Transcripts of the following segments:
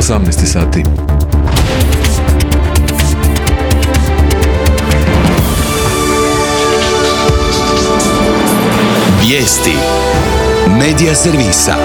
18 sati. Vijesti Medija servisa.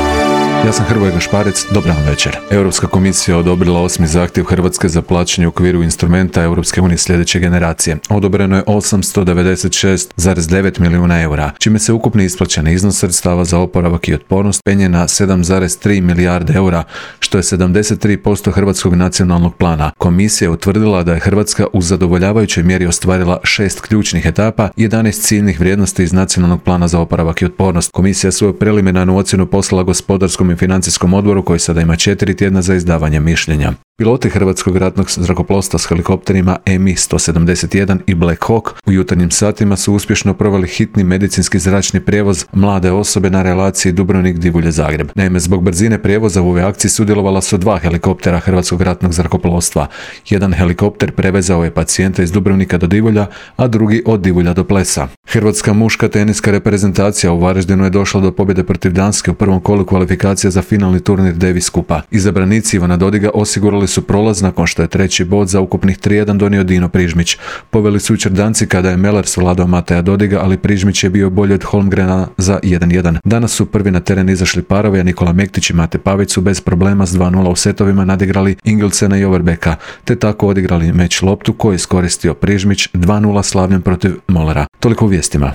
Ja sam Hrvoje Gašparec, dobar vam večer. Europska komisija odobrila 8. zahtjev Hrvatske za plaćanje u okviru instrumenta Europske unije sljedeće generacije. Odobreno je 896,9 milijuna eura, čime se ukupni isplaćeni iznos sredstava za oporavak i otpornost penje na 7,3 milijarde eura, što je 73% hrvatskog nacionalnog plana. Komisija je utvrdila da je Hrvatska u zadovoljavajućoj mjeri ostvarila 6 ključnih etapa i 11 ciljnih vrijednosti iz nacionalnog plana za oporavak i otpornost. Komisija svoju preliminarnu ocjenu poslala gospodarskom i financijskom odboru koji sada ima 4 tjedna za izdavanje mišljenja. Piloti Hrvatskog ratnog zrakoplovstva s helikopterima Mi-171 i Black Hawk u jutarnjim satima su uspješno proveli hitni medicinski zračni prijevoz mlade osobe na relaciji Dubrovnik-Divulje-Zagreb. Naime, zbog brzine prijevoza u ovoj akciji sudjelovala su 2 helikoptera Hrvatskog ratnog zrakoplovstva. Jedan helikopter prevezao je pacijenta iz Dubrovnika do Divulja, a drugi od Divulja do Plesa. Hrvatska muška teniska reprezentacija u Varaždinu je došla do pobjede protiv Danske u prvom kolu kvalifikacija za finalni turnir Davis Kupa. Izabranici Ivana Dodiga osigurali su prolaz nakon što je treći bod za ukupnih 3-1 donio Dino Prižmić. Poveli su jučer Danci kada je Meller svladao Mateja Dodiga, ali Prižmić je bio bolji od Holmgrena za 1-1. Danas su prvi na teren izašli parovi, a Nikola Mektić i Mate Pavić su bez problema s 2-0 u setovima nadigrali Ingelsena i Overbecka, te tako odigrali meč loptu koji je iskoristio Prižmić 2-0 slavljem protiv Mollera. Toliko u vijestima.